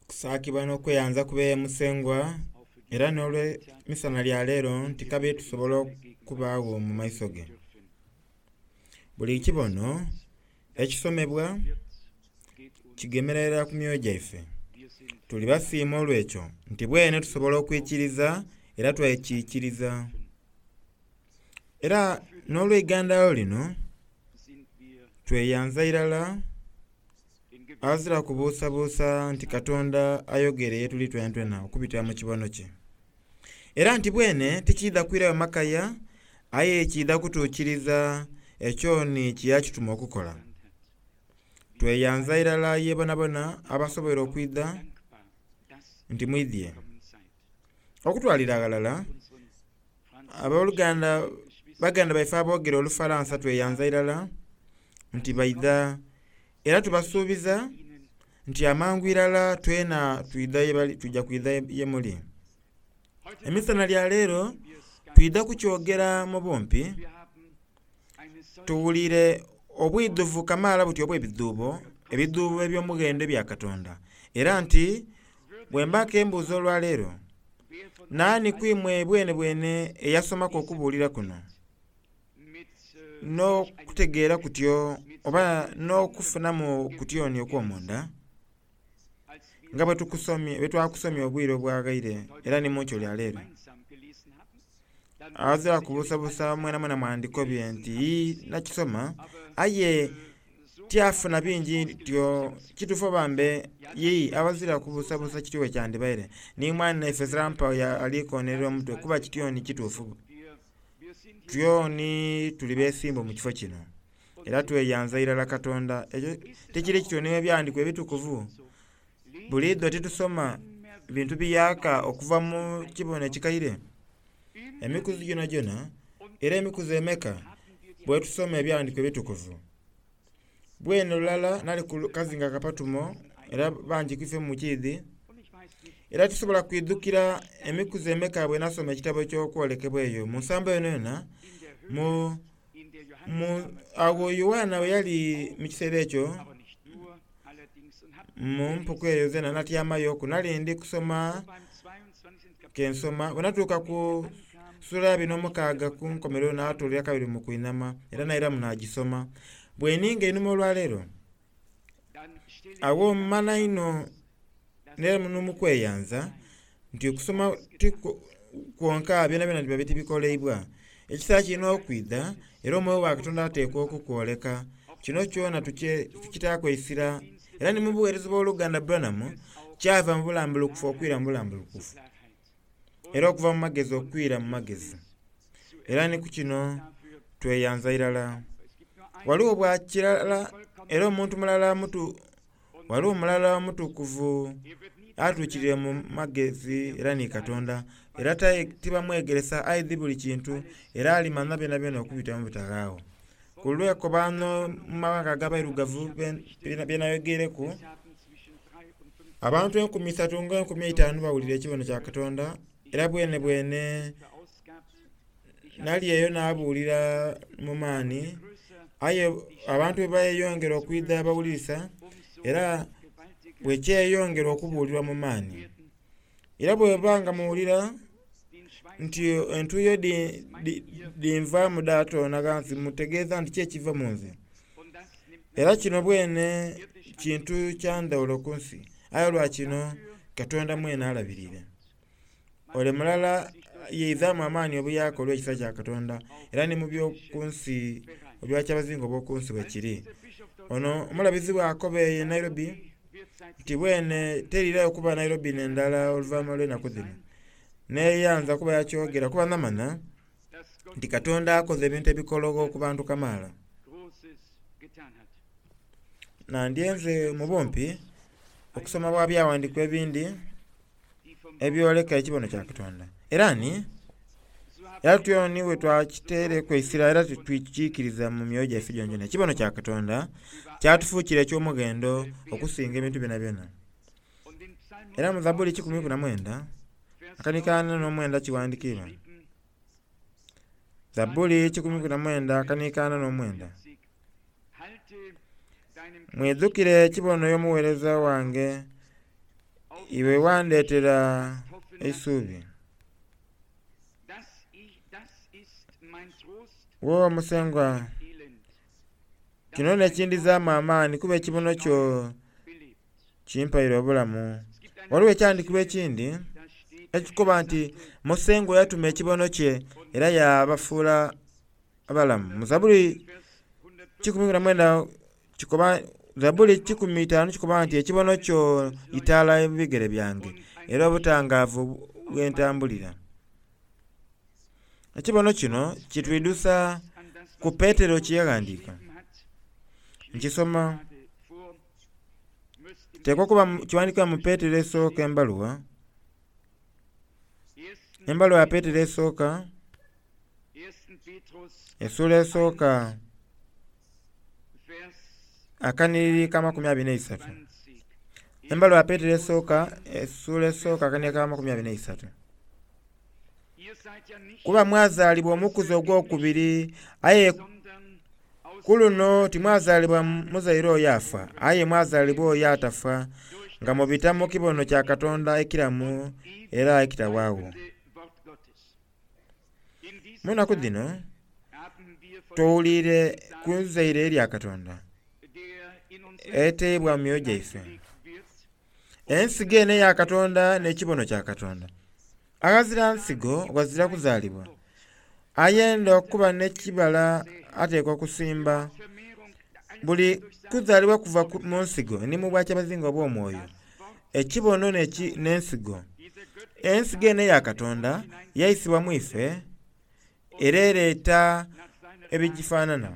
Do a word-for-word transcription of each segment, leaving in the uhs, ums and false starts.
Okusaakibwa n'okweyanza kube Musengwa era n'olw'emisana lya leero nti kabiri tusobola okubaagho mu maiso ge. Buli kibono ekisomebwa kigemerera ku myoyo gyaife. Tuli basiima olw'ekyo nti bwene tusobola okwikiriza era twekikiriza. Era n'olw'eigandalo lino tweyanza irala azira kubuusabuusa nti Katonda ayogere ye tuli twenatwena okubitira mu kibono kye. Era nti bwene tikiidha kwirayo makaya aye kiidha kutuukiriza ekyo ni kyeyakituma okukola. Tweyanza irala ye bonabona abasoboire okwidha nti mwidhye. Okutwalira aghalala abooluganda baganda baife aboogera Olufalansa tweyanza irala nti baidha era tubasuubiza nti amangu irala twena twidha yebali tujja kwidha ye muli. Emisana lya leero twidha kukyogera mu bumpi tuwulire obwidhuvu kamaala buti obw'ebidhuubo ebidhuubo eby'omughendo ebya Katonda. Era nti bwe mba kembuuza olwaleero naani ku imwe bwene bwene eyasomaku okubuulira kuno n'okutegeera kutyo oba n'okufunamu kutyoni okw'omunda nga bwe tukusomye bwe twakusomye obwire obwaghaire era ni mu nkyo lya leero. Azira kubuusabuusa mwena mwena mwandikobye nti ii nakisoma aye tyafuna bingi ntyo kituufu oba mbe yii abazira kubuusabuusa kityo bwe kyandibaire. Ni mwana naife Zirampa ali konerera omutwe kuba kityoni kituufu. Tyoni tuli beesimbu mu kifo kino era tweyanza irala Katonda. Ekyo tikiri kityo n'ebyandiikwa ebitukuvu buliidho titusoma bintu biyaaka okuva mu kibono ekikaire. Emikuzi gyonagyona era emikuzi emeka bwe tusoma ebyandiikwa ebitukuvu. Bwene lulala nali ku kazinga Kapatumo era bangi ku ife mukiidhi era tusobola kwidhukira emikuzi emeka bwe nasoma ekitabo eky'okwolekebwa eyo mu nsambo yonayona mu mu agho Yoanna bwe yali mu kiseera ekyo mu mpuku eyo zena natyamayoku nali ndi kusoma kensoma bwe natuuka ku sula abiri n'omukaaga ku nkomerero naatuulira kabiri mu kwinhama era nairamu nagisoma. Bwe ninga einhuma olwaleero agho mmana inho n'omukweyanza nti okusoma ti kwonka byonabyona biba tibikoleibwa. Ekiseera kirina okwidha era omwoyo wa Katonda ateekwa okukwoleka. Kino kyona tukitaaku eisira era ni mu buweereza bw'oluganda Branham kyava mu bulambulukufu okwira mu bulambulukufu era okuva mu magezi okwira mu magezi. Era ni ku kino tweyanza irala. Waliwo bwa kirala era omuntu mulala mutu waliwo mulala omutukuvu atuukirire mu magezi era ni Katonda era tibamwegeresa aidhi buli kintu era alimanya byonabyona okubita mu bitaghaagho. Ku lw'ekobaano mu mawanga ag'abairugavu bye nayogereku abantu enkumi isatu nga enkumi eitaanu bawulira ekibono kya Katonda era bwene bwene nali eyo naabuulira mu maani aye abantu bwe beeyongera okwidha bawulirisa era bwe kyeyongera okubuulirwa mu maani. Era bweba nga muwulira nti entuuyo dhinvaamu dhaatoona ghansi mutegeeza nti ki ekiva mu nze. Era kino bwene kintu kya ndhawulo ku nsi aye lwa kino Katonda mwene alabirire. Ole mulala yeizaamu amaani obuyaaka olw'ekisa kya Katonda era ni mu by'oku nsi obwakyabazinga obw'oku nsi bwe kiri. Ono omulabizi bw'akoba eyo e Nairobi nti bwene teriirayo kuba Nairobi n'endala oluvannyuma lw'enaku dhino. Neeyanza kuba yakyogera kuba namanya nti Katonda akoze ebintu ebikologho ku bantu kamaala. Nandyenze mu bumpi okusoma bwa byawandiikibwa ebindi ebyoleka ekibono kya Katonda. Era ni era tyoni bwe twakiteereku eisira era tukiikiriza mu myoyo gyaife gyonagyona. Ekibono kya Katonda kyatufuukira eky'omughendo okusinga ebintu byonabyona. Era mu Zabbuli kikumi ku na mwenda akanika ana n'omwenda kiwandiikibwa. Zabbuli kikumi ku na mwenda akanika ana n'omwenda. Mwidhukire ekibono y'omuweereza wange Iwe wandhetera eisubi. Wo Musengwa, kino nh'ekindhizaamu amaani kuba ekibono kyo kimpaire obulamu. Ghaligho ekyandhikibwa ekindhi ekikoba nti Musengwa yatuma ekibono kye era yabafuula abalamu. Mu Zabbuli kikumi na mwendha kikoba Zabbuli kikumi itanu kikoba nti ekibono kyo itaala mu bigere byange era obutangaavu ghentambulira. Ekibono kino kitwidhusa ku Petero kyeyaghandhiika. Nkisoma kiteekwa okuba kighandhikibwa mu Petero esooka embaluwa, embaluwa ya Petero esooka, essuula esooka akanhiriri k'amakumi abiri n'eisatu. Embaluwa ya Petero esooka, essuula esooka akanhiriri ak'amakumi abiri n'eisatu. Kuba mwazaalibwa omukuzi ogw'okubiri, aye ku luno timwazaalibwa muzaire oyo afa, aye mwazaalibwa oyo atafa, nga mubita mu kibono kya Katonda ekiramu era ekitawaagho. Mu nnaku dhino tuwuliire ku izaire erya Katonda eteibwa mu myoyo gyaife. Ensigo eno eya Katonda n'ekibono kya Katonda. Aghazira nsigo ghazira kuzaalibwa. Ayenda okuba n'ekibala ateekwa okusimba. Buli kuzaalibwa kuva mu nsigo ni mu bwakyabazinga obw'omwoyo. Ekibono n'ensigo. Ensigo eno eya Katonda yaisibwa mu ife era ereeta ebigifanhanha.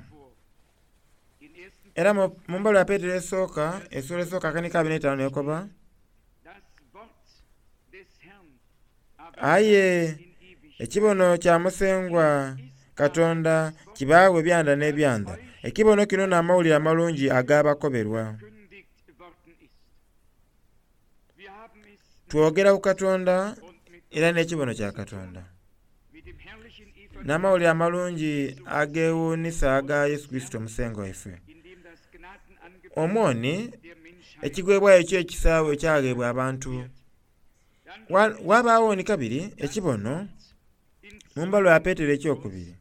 Era mu mbaluwa ya Petero esooka, essuula esooka akanhiriri ka abiri n'eitaanu n'ekoba, aye ekibono kya Musengwa Katonda kibaagho ebyanda n'ebyanda. Ekibono kino n'amawulire amalungi agabakoberwa. Twogera ku Katonda era n'ekibono kya Katonda. N'amawulire amalungi ageewuunhisa aga Yesu Kurisito Musengwa waife. Omwo ni ekigheebwayo eky'ekisa bwe kyagheebwa abantu. Ghabagho ni kabiri ekibono mu mbaluwa ya Petero eky'okubiri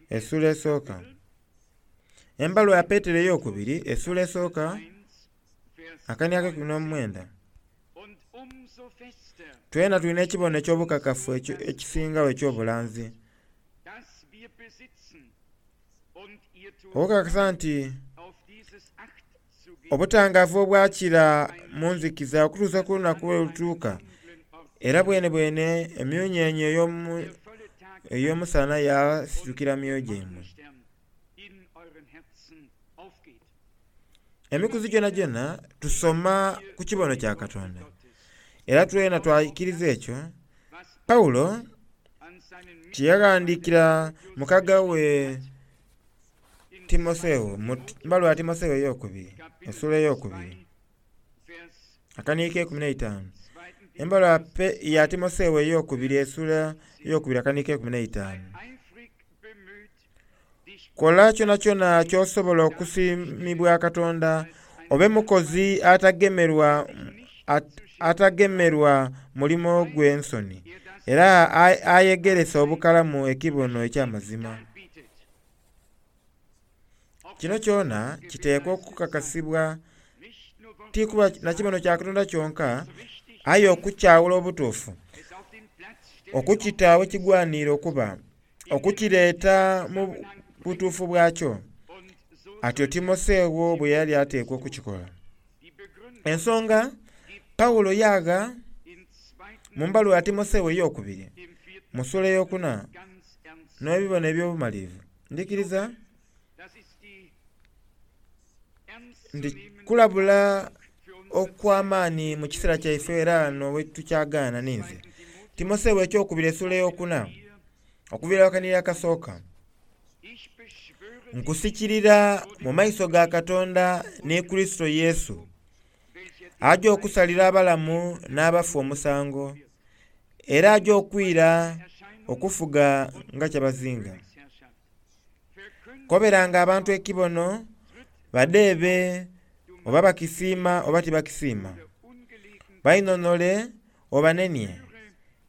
essuula esooka. Embaluwa ya Petero ey'okubiri essuula esooka akanhiriri ak'eikumi n'omwenda. Twena tulina ekibono eky'obukakafu ekisingagho eky'obulanzi. Okukakasa nti obutangaavu obwakira mu nzikiza okutuusa ku lunaku lwe lutuuka, era bwenebwene emmunhyenhye ey'omusana yasitukira mu myoyo gyaimwe. Emikuzi gyonagyona tusoma ku kibono kya Katonda era twena twaikiriza ekyo. Paulo kyeyaghandhiikira mukaga we Timotheo mu mbaluwa ya Timotheo ey'okubiri essuula ey'okubiri akanhiriri k'eikumi n'eitaanu. Embaluwa ya Timotheo ey'okubiri essuula ey'okubiri akanhiriri k'eikumi n'eitaanu. Kola kyonakyona ky'osobola okusiimibwa Katonda, obe mukozi atagemerwa at, atagemerwa mulimo gwe nsoni, era ayegeresa obukalamu ekibono eky'amazima. Kino kyona kiteekwa okukakasibwa ti kuba na kibono kya Katonda kyonka, aye okukyawula obutuufu, okukita ghekigwaniire okuba, okukireeta mu butuufu bwakyo. Atyo Timotheo bwe yali ateekwa okukikola. Ensonga Paulo yagha mu mbaluwa ya Timotheo ey'okubiri mu ssuula ey'okuna n'ebibono eby'obumalirivu. Ndhikiriza nti kulabula okw'amaani mu kiseera kyaife era ghano wetukyagaana ninze. Timotheo eky'okubiri essuula ey'okuna okuviira akanhiriri akasooka. Nkusikirira mu maiso ga Katonda ni Kurisito Yesu, aja okusalira abalamu n'abafu omusango, era aja okwira okufuga nga kyabazinga. Koberanga abantu ekibono badheebe oba bakisiima oba tibakisiima. Bainhonhole, obanenie,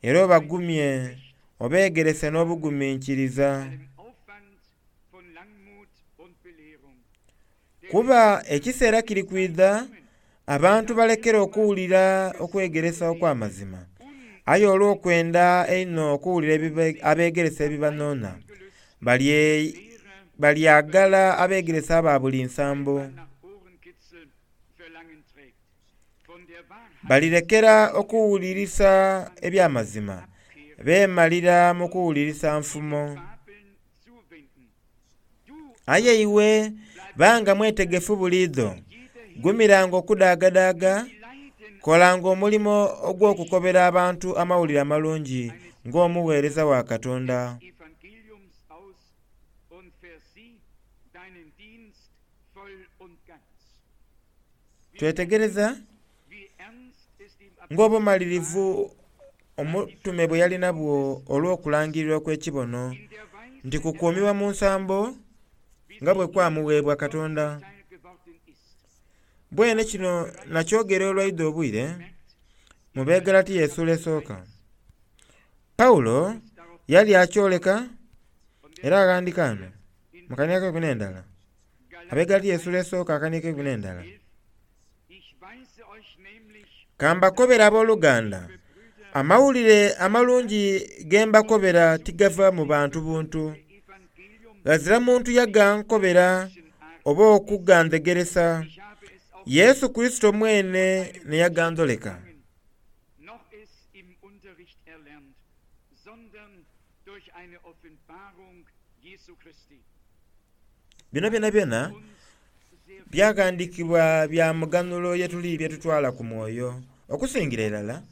era obagumye, obeegerese n'obuguminkiriza. Kuba ekiseera kiri kwidha abantu balekere okuwulira okwegeresa okw'amazima, aye olw'okwenda einho okuwulira abegeresa ebibanhonha, balyagala abegeresa aba buli nsambo. Balirekera okuwulirisa eby'amazima, beemalira mu kuwulirisa nfumo. Aye iwe banga mwetegefu buliidho, gumiranga okudaagadaaga, kolanga omulimo ogw'okukobera abantu Amawulire Amalungi ng'omugheereza wa Katonda. Twetegereza ng'obumalirivu omutume bwe yali nabwo olw'okulangirira okw'ekibono nti kukuumibwa mu nsambo nga bwe kwamuweebwa Katonda. Bwene kino nakyogera olwaidho obwire mu Begalatiya essuula esooka. Pawulo yali akyoleka era aghandika ghano mu kania k'eikumi n'endala. Abegalatiya essuula esooka akania k'eikumi n'endala. Ka mbakobere abooluganda, amawulire amalungi ge mbakobera tigava mu bantu buntu. Ghazira muntu yagankobera oba okugandhegeresa. Yesu Kurisito mwene n'eyagandholeka. Bino byonabyona byaghandhiikibwa bya muganhulo ye tuli bye tutwala ku mwoyo, okusingira irala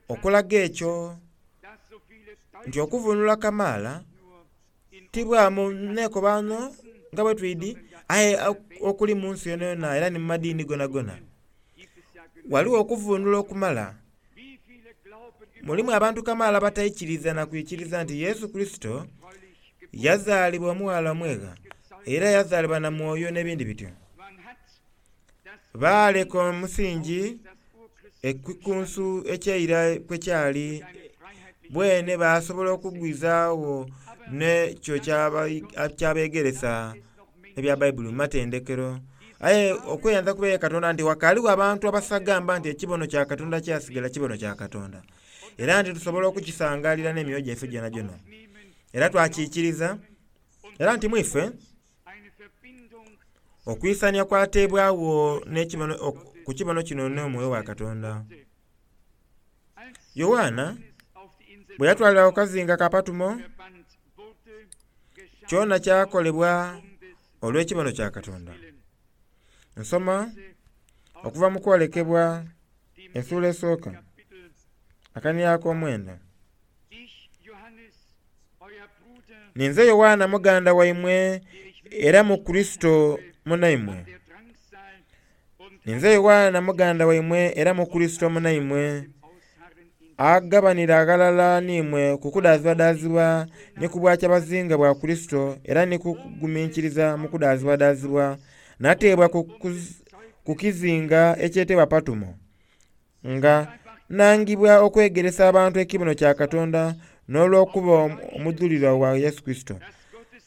okulaga ekyo nti okuvunula kamaala ti bwa mu nekobaano nga bwe twidi aye okuli mu nsi yonayona era ni mu madiini gonagona. Ghaligho okuvunula okumala. Mulimu abantu kamaala abataikiriza na kwikiriza nti Yesu Kurisito yazaalibwa omughala omwegha era yazaalibwa na mwoyo n'ebindi bityo. Baaleka omusingi ekikunsu eky'eira kwe kyali bwene basobola okugwizaagho n'ekyo kyabegeresa ebya Baibuli mu matendekero. Aye okweyanza kuba eri Katonda nti ghakaligho abantu abasagamba nti ekibono kya Katonda kyasigala kibono kya Katonda, era nti tusobola okukisangalira n'emyoyo gyaife gyonagyona. Era twakiikiriza, era nti mwife okwisania kwateebwagho ku kibono kino n'omwoyo wa Katonda. Yoanna bwe yatwalibwa ku kazinga ka Patumo, kyona kyakolebwa olw'ekibono kya Katonda. Nsoma okuva mu kwolekebwa essuula esooka akania ak'omwenda. Ninze Yoanna muganda waimwe era mu Kurisito munaimwe. Ninze Yoanna muganda waimwe era mu Kurisito munaimwe, agabanira aghalala n'imwe ku kudaazibwadaazibwa ni ku bwakyabazinga bwa Kurisito era ni ku kuguminkiriza mu kudaazibwadaazibwa, nateebwa ku kizinga ekyetebwa Patumo, nga nangibwa okwegeresa abantu ekibono kya Katonda n'olw'okuba omudhulirwa wa Yesu Kurisito.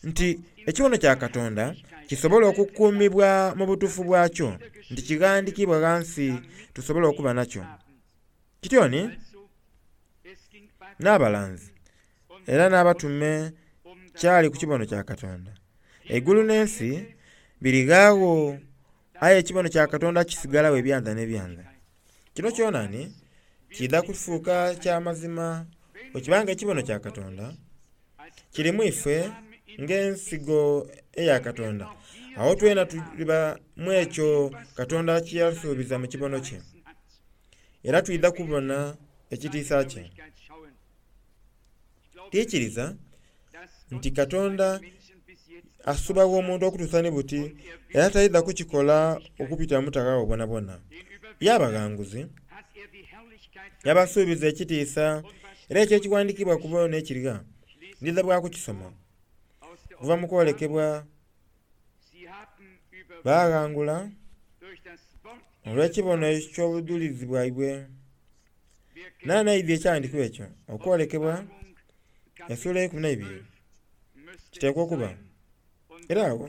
Nti ekibono kya Katonda kisobole okukuumibwa mu butuufu bwakyo, nti kighandikibwa ghansi tusobole okuba nakyo. Kityoni n'abalanzi era n'abatume kyali ku kibono kya Katonda. Eigulu n'ensi birighagho, aye ekibono kya Katonda kisigalagho ebyanda n'ebyanda. Kino kyonani kiidha kufuuka kya mazima bwe kibanga ekibono kya Katonda kiri mu ife ng'ensigo eya Katonda. Agho twena tuliba mu ekyo Katonda kye yasuubiza mu kibono kye, era twidha kubona ekitiisa kye. Tiikiriza nti Katonda asubagho omuntu okutuusa ni buti era taidha kukikola okubitira mu butaghaagho bwonabwona. Y'abaghanguzi yabasuubiza ekitiisa era ekyo ekighandhikiibwa ku bo n'ekirigha ndidha bwa kukisoma okuva mu kwolekebwa. Baghangula Olw'ekibono eky'obudhulizi bwaibwe. Nani aidhi ekyawandiikibwa ekyo? Okwolekebwa essuula eikumi n'eibiri kiteekwa okuba. Era agho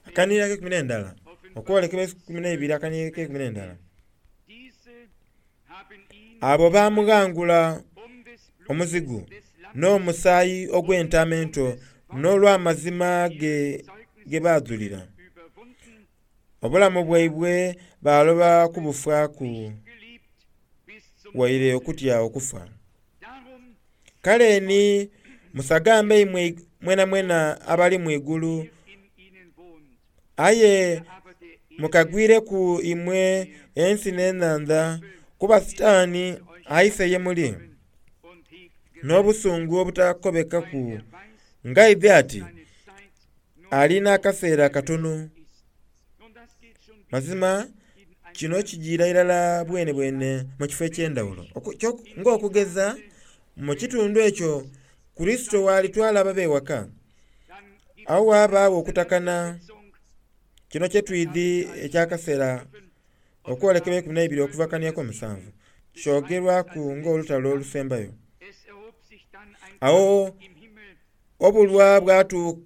akanhiriro ak'eikumi n'endala, okwolekebwa eikumi n'eibiri akanhiriro ak'eikumi n'endala. Abo baamughangula omuzigu n'omusaayi ogw'entaama ento n'olw'amazima ge ge baadhulira. Obulamu bwaibwe baaloba kubufaaku waire okutya okufa. Kale ni musagambe imwe mwenamwena abali mu igulu, aye mukagwireku imwe ensi n'enhandha, kuba Sitaani aise ye muli n'obusungu obutakobekaku ng'aidhi ati ali n'akaseera katono. Mazima kino kijiira irala bwenebwene mu kifo eky'endhawulo ng'okugeza mu kitundu ekyo Kurisito w'alitwala ababe ewaka, agho ghabagho okutakana. Kino kye twidhi eky'akaseera okwolekebwa eikumi n'eibiri okuva kania ak'omusanvu kyogerwaku ng'olutalo olusembayo. Agho obulwa bwatu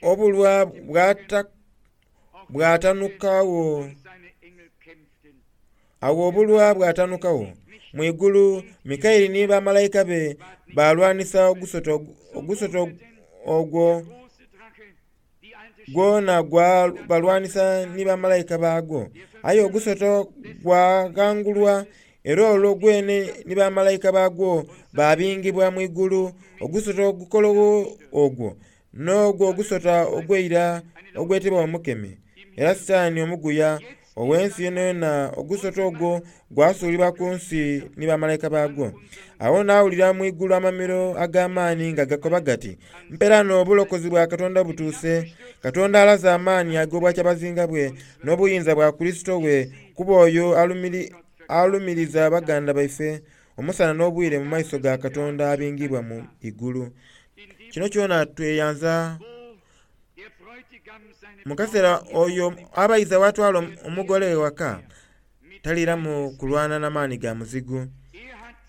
obulwa bwata bwatanukagho agho obulwa bwatanukagho mu igulu Mikaeli ni bamalayika be baalwanisa ogusota ogusota ogwo gwona gwabalwanisa ni bamalayika baagwo. Aye ogusota gwaghangulwa era olwo gwene ni bamalayika baagwo baabingibwa mu igulu. Ogusota ogukologho ogwo n'ogwo ogusota ogw'eira ogwetebwa Omukemi era Sitaani omuguya ow'ensi yonayona. Ogusota ogwo gwasuulibwa ku nsi ni bamalayika baagwo. Agho naawulira mu igulu amamiro ag'amaani nga gakoba gati, Mperaano obulokozi bwa Katonda butuuse. Katonda alaze amaani ag'obwakyabazinga bwe n'obuyinza bwa Kurisito we, kuba oyo alumiri alumiriza baganda baife omusana n'obwire mu maiso ga Katonda abingibwa mu igulu. Kino kyona tweyanza mu kaseera oyo abayiza bw'atwala omugole ewaka taliiramu kulwana na maani ga muzigu.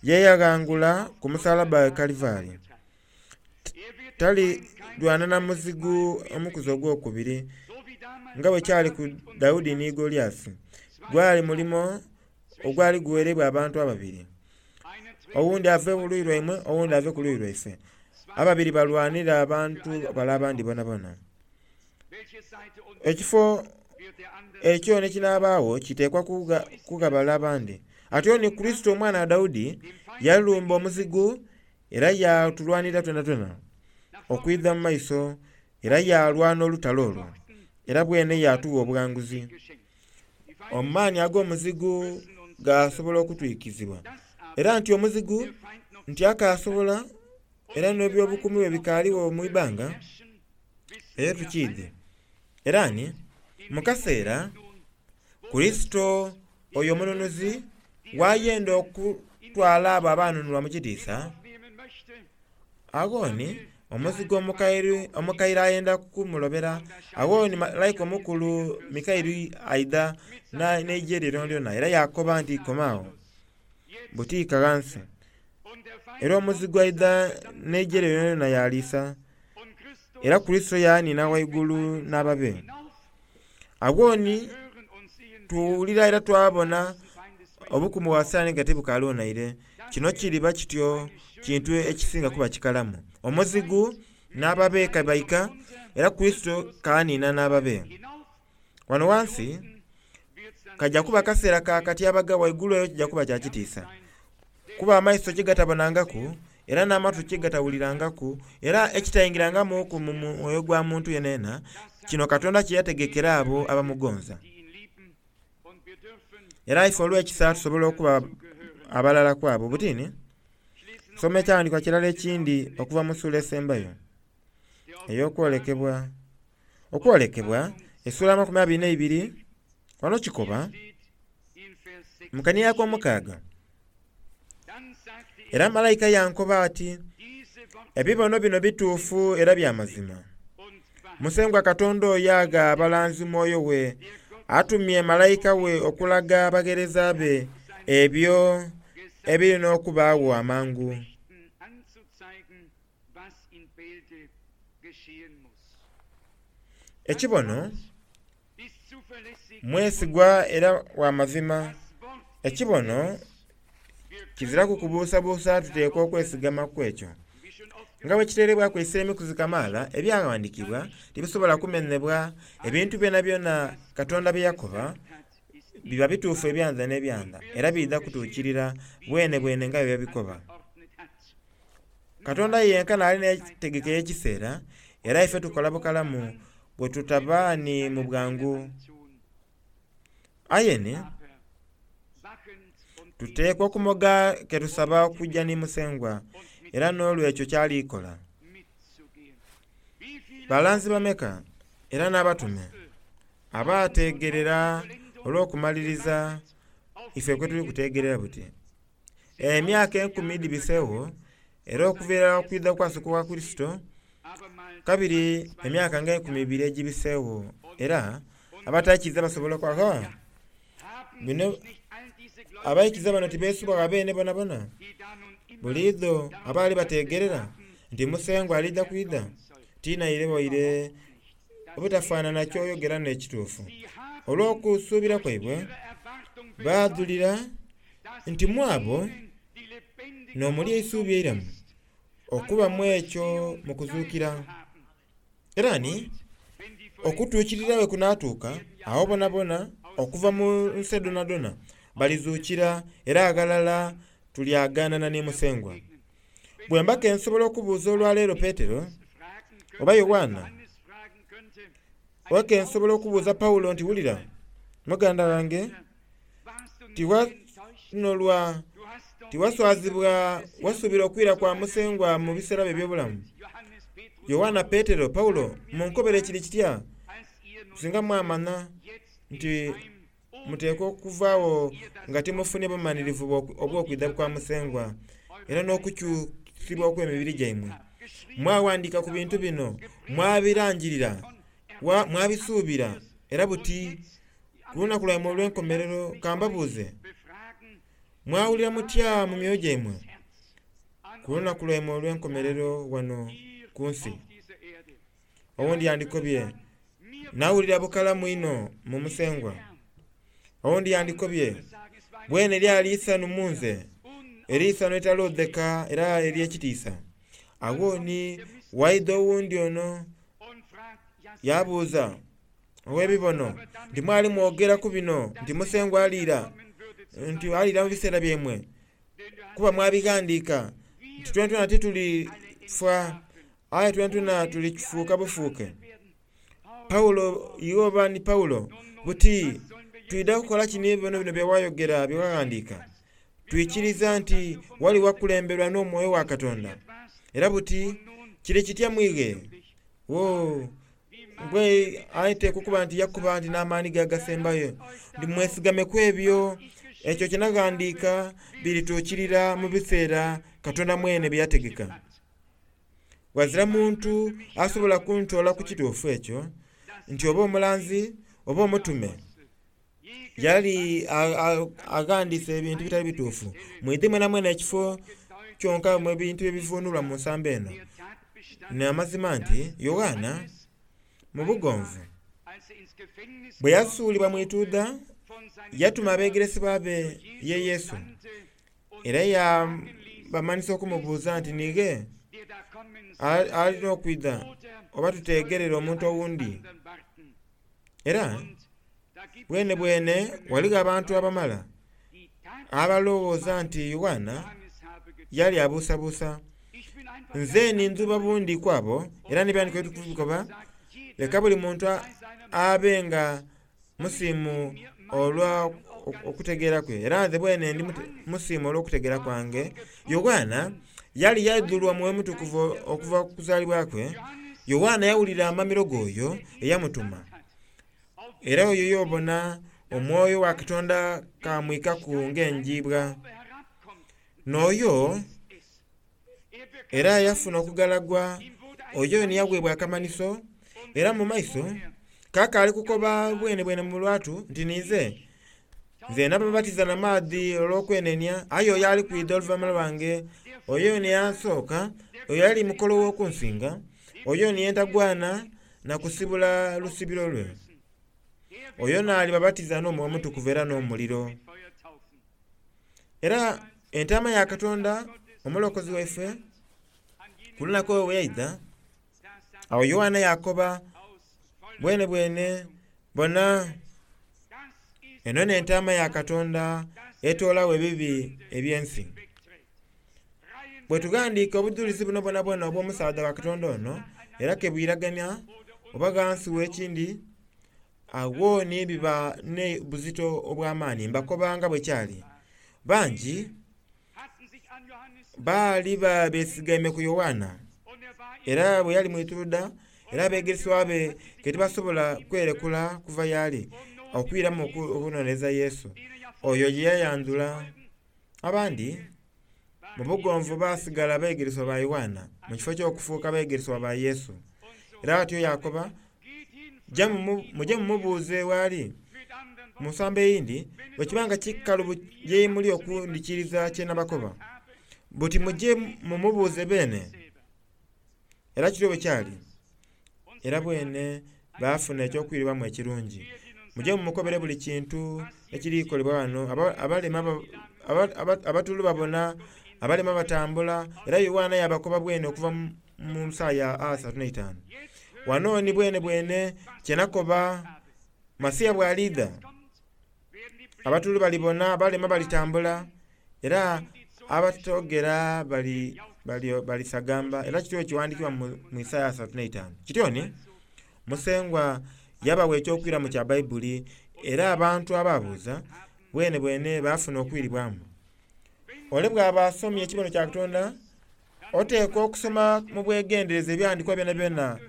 Yeyaghangula ku musalaba e Kalivari. Talirwana na muzigu omukuzi ogwokubiri nga bwe kyali ku Daudi ni Goliasi. Gwali mulimo ogwali guwereibwa abantu ababiri, owundi ave ku luuyi lwaimwe owundi ave ku luuyi lwaife. Ababiri balwanira abantu bale abandi bonabona. Ekifo ekyo n'ekinaabagho kiteekwa kugabala abandi. Atyo ni Kurisito omwana wa Daudi yalumba omuzigu era yaatulwanira twenatwena okwidha mu maiso era yalwana olutalo olwo era bwene yatuwa obughanguzi. Amaani ag'omuzigu gasobola okutwikizibwa era nti omuzigu nti akasobola era n'ebyobukumi bwe bikaaligho mu ibanga eyo tukiidhi. Era ni mu kaseera Kurisito oyo omununuzi wayenda okutwala abo abanunulwa mu kitiisa, agho ni omuzigu omukaire omukaire ayenda kumulobera. Agho ni malayika omukulu Mikaeli aidha n'eigye lye lyonalyona era yakoba nti koma agho butiika ghansi. Era omuzigu aidha n'eigye lye lyonalyona yaliisa era Kurisito yaaniina ghaigulu n'ababe. Agho ni tuwulira era twabona obukumu bwa Sitaani nga tibukaaligho naire. Kino kiriba kityo kintu ekisinga kuba kikalamu. Omuzigu n'ababe kabaika era Kurisito kaaniina n'ababe. Wano ghansi kajja kuba kaseera ka katyabaga waigulu eyo kijja kuba kya kitiisa. Kuba amaiso kye gatabonangaku era n'amatu kye gatawulirangaku era ekitayingirangamuku mu mwoyo gwa muntu yenayena, kino Katonda kye yategekera abo abamugonza. Era ife olw'ekisa tusobola okuba abalala ku abo. Butini soma ekyawandiikibwa kirala ekindi okuva mu ssuula esembayo ey'okwolekebwa. Okwolekebwa essuula amakumi abiri n'eibiri wano kikoba mu kanhiriro ak'omukaaga. Era malayika yankoba ati, ebibono bino bituufu era bya mazima. Musengwa Katonda oyo agha abalanzi mwoyo we Atumye malayika we okulaga abagheereza be ebyo ebiri n'okubaagho amangu. Ekibono mwesigwa era wa mazima. Ekibono kiziraku kubuusabuusa tuteekwa okwesigama ku ekyo. Nga bwe kiteereibwaku essira emikuzi kamaala, ebyaghandiikibwa tibisobola kumenhebwa. Ebintu byonabyona Katonda bye yakoba biba bituufu ebyanda n'ebyanda, era biidha kutuukirira bwenebwene nga bwe yabikoba. Katonda yenka n'ali n'entegeka ey'ekiseera, era ife tukola bukalamu bwe tutaba ni mu bwangu. Aye ni tuteekwa okumoga ke tusaba okujja ni Musengwa, era n'olw'ekyo ky'ali kola. Balanzi bameka era n'abatume abateegerera olw'okumaliriza ife kwe tuli kuteegerera buti. Emyaka enkumi dhibiseegho era okuviira okwidha okwasooka okwa Kurisito, kabiri emyaka nga enkumi ibiri egibiseegho, era abataikiriza basobola okukoba, bino abaikiriza bano tibeesubwagho beene bonabona? Buliidho abaali bateegerera nti Musengwa alidha kwidha, tinaire waire obutafaanana ky'oyogera n'ekituufu. Olw'okusuubira kwaibwe baadhulira nti mu abo n'omuli eisuubi eiramu okuba mu ekyo mu kuzuukira. Era ni okutuukirira bwe kunaatuuka, agho bonabona okuva mu nsi dhonadhona balizuukira era aghalala tulyaganana ni Musengwa. Bwe mba ke nsobola okubuuza olwaleero Petero oba Yoanna, oba ke nsobola okubuuza Pawulo nti wulira muganda wange, tiwanolwa, tiwaswazibwa, wasuubira okwira kwa Musengwa mu biseera byo eby'obulamu. Yoanna, Petero, Pawulo munkobere kiri kitya singa mwamanha nti muteekwa okuvaagho nga timufunye bumanhirivu obw'okwidha kwa Musengwa era n'okukyusibwa okw'emibiri gyaimwe. Mwaghandiika ku bintu bino, mwabirangirira, mwabisuubira era buti ku lunaku lwaimwe olw'enkomerero ka mbabuuze, mwawulira mutya mu myoyo gyaimwe ku lunaku lwaimwe olw'enkomerero wano ku nsi? Owundi yandikobye, nawulira bukalamu inho mu Musengwa. Owundi yandikobye, bwene lyali isanhu mu nze, eriisanhu eritaloodheka era ery'ekitiisa. Agho ni waidha owundi ono yabuuza ow'ebibono nti mwali mwogera ku bino nti Musengwa aliira, nti aliira mu biseera byaimwe, kuba mwabighandiika nti twenatwena titulifa aye twenatwena tulifuuka bufuuke. Pawulo iwe oba ni Pawulo, buti twidha kukola kino ebibono bino bye wayogera bye waghandiika. Twikiriza nti wali wakulemberwa n'omwoyo wa Katonda. Era buti kiri kitya mwighe? Wo gwe ateekwa okuba nti yakuba nti n'amaani ge agasembayo nti mwesigame ku ebyo ekyo kye naghandiika birituukirira mu biseera Katonda mwene bye yategeka. Ghazira muntu asobola kuntoola ku kituufu ekyo nti oba omulanzi oba omutume yali aghandiise ebintu ebitali bituufu. Mwidhi mwenamwena ekifo kyonka mu ebintu ebivuunulwa mu nsambo eno. N'amazima nti Yoanna mu bugonvu bwe yasuulibwa mu ituudha yatuma abeegeresebwa be ye Yesu era yabamanhisa okumubuuza nti nighe alina okwidha oba tuteegerere omuntu owundi. Era bwenebwene ghaligho abantu abamala abalowooza nti Yoanna yali abuusabuusa. Nze ni ndhuba bundi ku abo era n'ebyandiko ebitukuvu bikoba, leka buli muntu abe nga musiimu olwa okutegeera kwe. Era nze bwene ndi musiimu olw'okutegeera kwange. Yoanna yali yaidhulwa Mwoyo Mutukuvu okuva ku kuzaalibwa kwe. Yoanna yawulira amamiro g'oyo eyamutuma. Era oyo y'obona omwoyo wa Katonda kamwikaku ng'enjiibwa. N'oyo era yafuna okugalagwa, oyo ni yaweebwa akamanhiso, era mu maiso Kaka ali kukoba bwene bwene mu lwatu nti ninze nze nababatiza na maadhi olw'okwenenia, aye oyo ali kwidha oluvannyuma lwange, oyo niyansooka, oyo ali mukolo w'okunsinga, oyo niyentagwana na kusibula lusibiro lwe. Oyo n'alibabatiza n'Omwoyo Omutukuvu era n'omuliro. Era entaama ya Katonda omulokozi waife ku lunaku olwo bwe yaidha, awo Yoanna yakoba bwene bwene bona eno n'entaama ya Katonda etoolawo ebibi eby'ensi. Bwe tughandiika obujulizi buno bwonabwona obw'omusaadha wa Katonda ono era kebwiragania oba ghansi w'ekindi, awo ni biba ne buzito obw'amaani mbakobanga bwe kyali. Bangi baali besigaime ku Yoanna, era bwe yali mwituluda era abeegeresebwa be ke tibasobola kwerekula kuva y'ali okwiramu okunoneza Yesu oyo ye yayandhula. Abandi mu bugonvu baasigala beegeresebwa ba Yoanna mu kifo ky'okufuuka abeegeresebwa ba Yesu. Era atyo yakoba, muje mumubuuze w'ali. Mu nsambo eyindi, bwe kiba nga kikalubu ye muli okundhikiriza kye nabakoba, buti muje mumubuuze beene. Era kityo bwe kyali. Era bwene baafuna eky'okwiribwamu ekirungi. Muje mumukobere buli kintu ekirikolebwa wano, abalema abatulu babona, abalema batambula. Era Yoanna yabakoba bwene okuva mu Isaya asatu n'eitaanu. Wano ni bwene bwene kyenakoba Masiya bw'aliidha, abatulu balibona, abalema balitambula, era abatogera bali balisagamba. Era kityo kiwandiikibwa mu Isaya asatu n'eitaanu. Kityo ni Musengwa yabawa ekyokwiramu kya Baibuli, era abantu ababuuza bwene bwene baafuna okwiribwamu. Ole bw'aba asomye ekibono kya Katonda, oteekwa okusoma mu bwegendereza ebyawandiikibwa byonabyona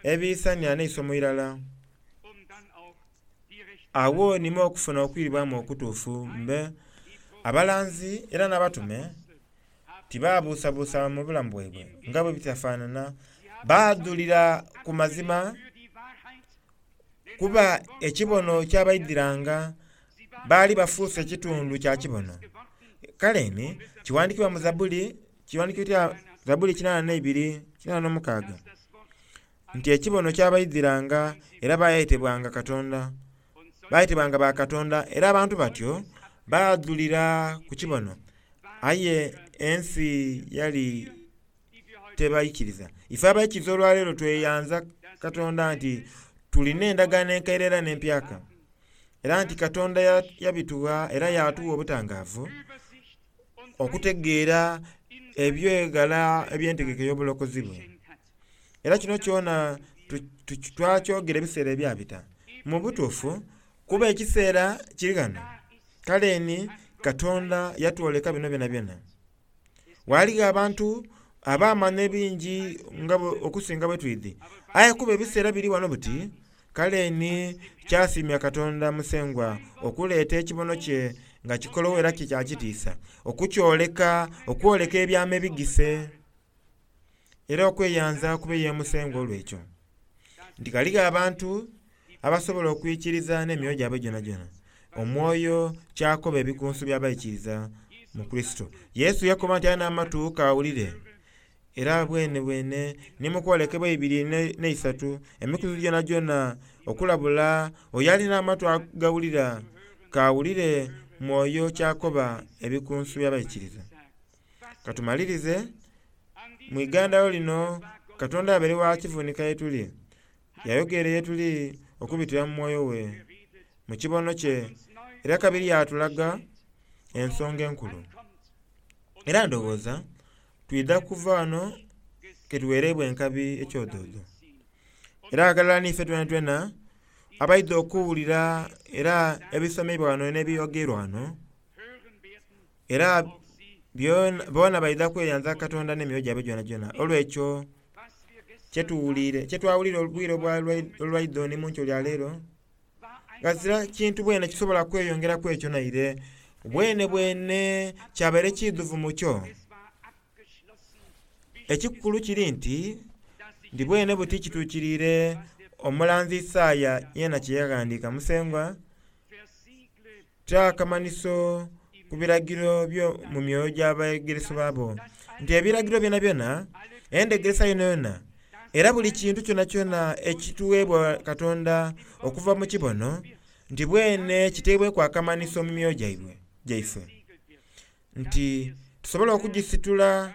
ebiisania n'eisomo irala. Awo nimu okufuna okwiribwamu okutuufu. Mbe abalanzi era n'abatume tibaabuusabuusa mu bulamu bwaibwe nga bwe bitafaanana, baadhulira ku mazima kuba ekibono kyabaidhiranga, baali bafuuse ekitundu kya kibono. Kale ni kiwandiikibwa mu Zabbuli, kiwandiikibwa Zabbuli kinaana n'eibiri kinaana n'omukaaga nti ekibono kyabaidhiranga era baayetebwanga Katonda, baayetebwanga ba Katonda, era abantu batyo baadhulira ku kibono, aye ensi yali tebaikiriza. Ife abaikiriza olwaleero tweyanza Katonda nti tulina endagaano enkaire era n'empyaka, era nti Katonda yabitugha era yatuwa obutangaavu okutegeera ebyegala eby'entegeka ey'obulokozi bwe. Era kino kyona twakyogera ebiseera ebyabita. Mu butuufu kuba ekiseera kiri ghano. Kale ni Katonda yatwoleka bino byonabyona. Ghaligho abantu abaamanya ebingi nga okusinga bwe twidhi, aye kuba ebiseera biri wano buti, kale ni kyasiimya Katonda Musengwa okuleeta ekibono kye nga kikolowo era kikyakitiisa, okukyoleka, okwoleka ebyama ebigise, era okweyanza kube ye Musengwa olw'ekyo. Nti ghaligho abantu abasobola okwikiriza n'emyoyo gyabwe gyonagyona. Omwoyo kyakoba ebikunsu by'abaikiriza mu Kurisito. Yesu yakoba nti alina amatu kawulire, era bwene bwene ni mu kwolekebwa eibiri n'eisatu emikuzi gyonagyona okulabula oyo alina amatu agawulira kawulire mwoyo kyakoba ebikunsu by'abaikiriza. Katumalirize mu igandalo lino Katonda abeere wa kivunika ye tuli, yayogere ye tuli okubitira mu mwoyo we mu kibono kye, era kabiri yatulaga ensonga enkulu. Era ndowooza twidha kuva wano ketuweereibwa enkabi ekyodoodo. Era aghalala n'ife twenatwena abaidha okuwulira era ebisomeibwa wano n'ebyogerwa wano, era boona baidha kweyanza Katonda n'emyoyo gyabwe gyonagyona olw'ekyo kyetuwuliire kyetwawulire obwire olwaidho ni mu nkyo lya leero. Ghazira kintu bwene kisobola kweyongeraku ekyo naire, bwene bwene kyabaire kidhuvu mu kyo. Ekikulu kiri nti ndi bwene buti kituukiriire Omulanzi Isaaya yeena kye yaghandiika, Musengwa ta akamanhiso ku biragiro byo mu myoyo gy'abeegeresebwa bo, nti ebiragiro byonabyona, endhegeresa yonayona, era buli kintu kyonakyona ekituweebwa Katonda okuva mu kibono, nti bwene kiteebweku akamanhiso mu myoyo gyaibwe gyaife, nti tusobole okugisitula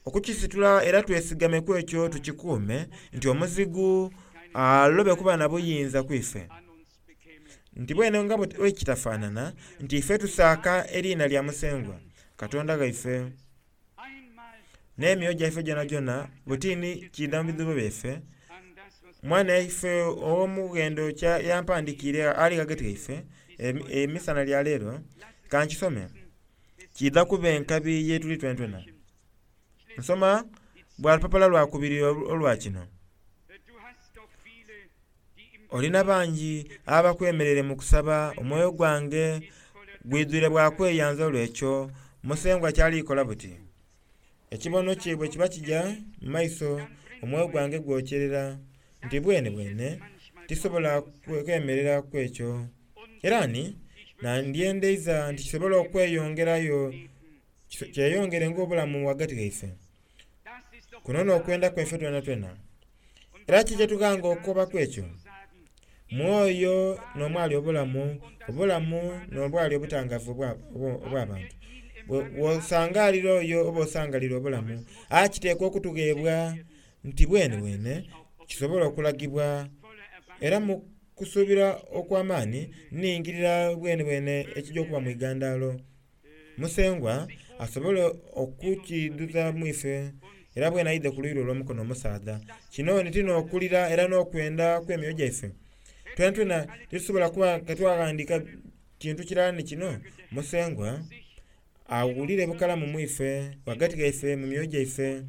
okukisitula era twesigame ku ekyo tukikuume, nti omuzigu alobe kuba na buyinza ku ife. Nti bwene nga bwe kitafaanana, nti ife tusaaka eriina lya Musengwa Katonda ghaife n'emyoyo gyaife gyonagyona butini kiidha mu bidhuubo byaife. Mwana ife ow'omughendo yampandikiire ali ghagati ghaife emisana lya leero, kankisome kiidha kuba enkabi yetuli twenatwena. Nsoma bwa lupapula lwa kubiri olwa kino. Olina bangi abakwemereire mu kusaba, omwoyo gwange gwidhwire bwa kweyanza olw'ekyo Musengwa kyali kola buti. Ekibono kye bwe kiba kija mu maiso, omwoyo gwange gwokyerera nti bwene bwene tisobola kwemerera ku ekyo. Era ni nandyendeiza nti kisobole okweyongerayo kyeyongere ng'obulamu ghagati ghaife. Kuno n'okwenda kwaife twenatwena. Era ki kyetughanga okukobaku ekyo? Mwoyo n'omwali obulamu, obulamu n'obwali obutangavu obw'abantu. Bw'osangalira oyo oba osangalira obulamu, aye kiteekwa okutugheebwa nti bwene bwene kisobole okulagibwa. Era mu kusuubira okw'amaani nningirira bwene bwene ekijja okuba mu igandaalo. Musengwa asobole okukidhuza mu ife era bwene aidhe ku luuyi lwe olw'omukono omusaadha. Kino ni ti n'okulira era n'okwenda kw'emyoyo gyaife. Twenatwena titusobola kuba nga twaghandiika kintu kirala ni kino. Musengwa awulire bukalamu mu ife, ghagati ghaife mu myoyo gyaife.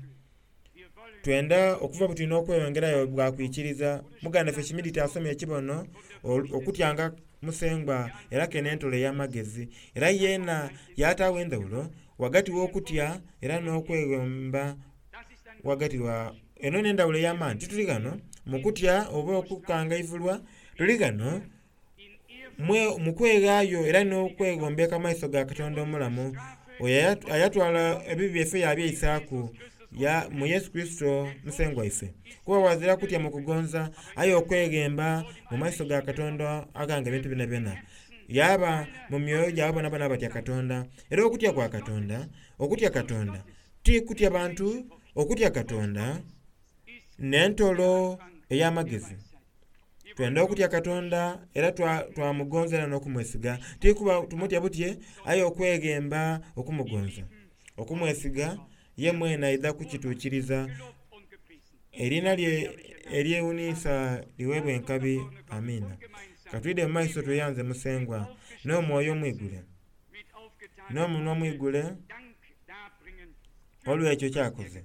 Twenda okuva buti n'okweyongerayo bwa kwikiriza. Muganda waffe Kimiditi asomye ekibono okutyanga Musengwa era ke n'entolo ey'amagezi. Era yeena yataagho endhawulo ghagati w'okutya era n'okwegomba ghagati wa eno n'endhawulo ey'amaani. Tituli ghano mu kutya oba okukangaivulwa, tuli ghano mu kweghaayo era n'okwegombeka mu maiso ga Katonda omulamu, oyo ayatwala ebibi byaife yabyeisaaku mu Yesu Kurisito Musengwa waife. Kuba ghazira kutya mu kugonza, aye okweghemba mu maiso ga Katonda aghanga ebintu byonabyona. Yaba mu myoyo gyabo bonabona abatya Katonda. Era okutya kwa Katonda, okutya Katonda ti kutya bantu, okutya Katonda n'entolo ey'amagezi. Twenda okutya Katonda era twamugonza era n'okumwesiga. Ti kuba tumutya butye, aye okweghemba okumugonza, okumwesiga, ye mwene aidha kukituukiriza. Eriina lye eryewuniisa liweebwe enkabi. Amiina. Katwidhe mu maiso tweyanze Musengwa n'omwoyo omwigule, n'omunhwa omwigule olw'ekyo kyakoze.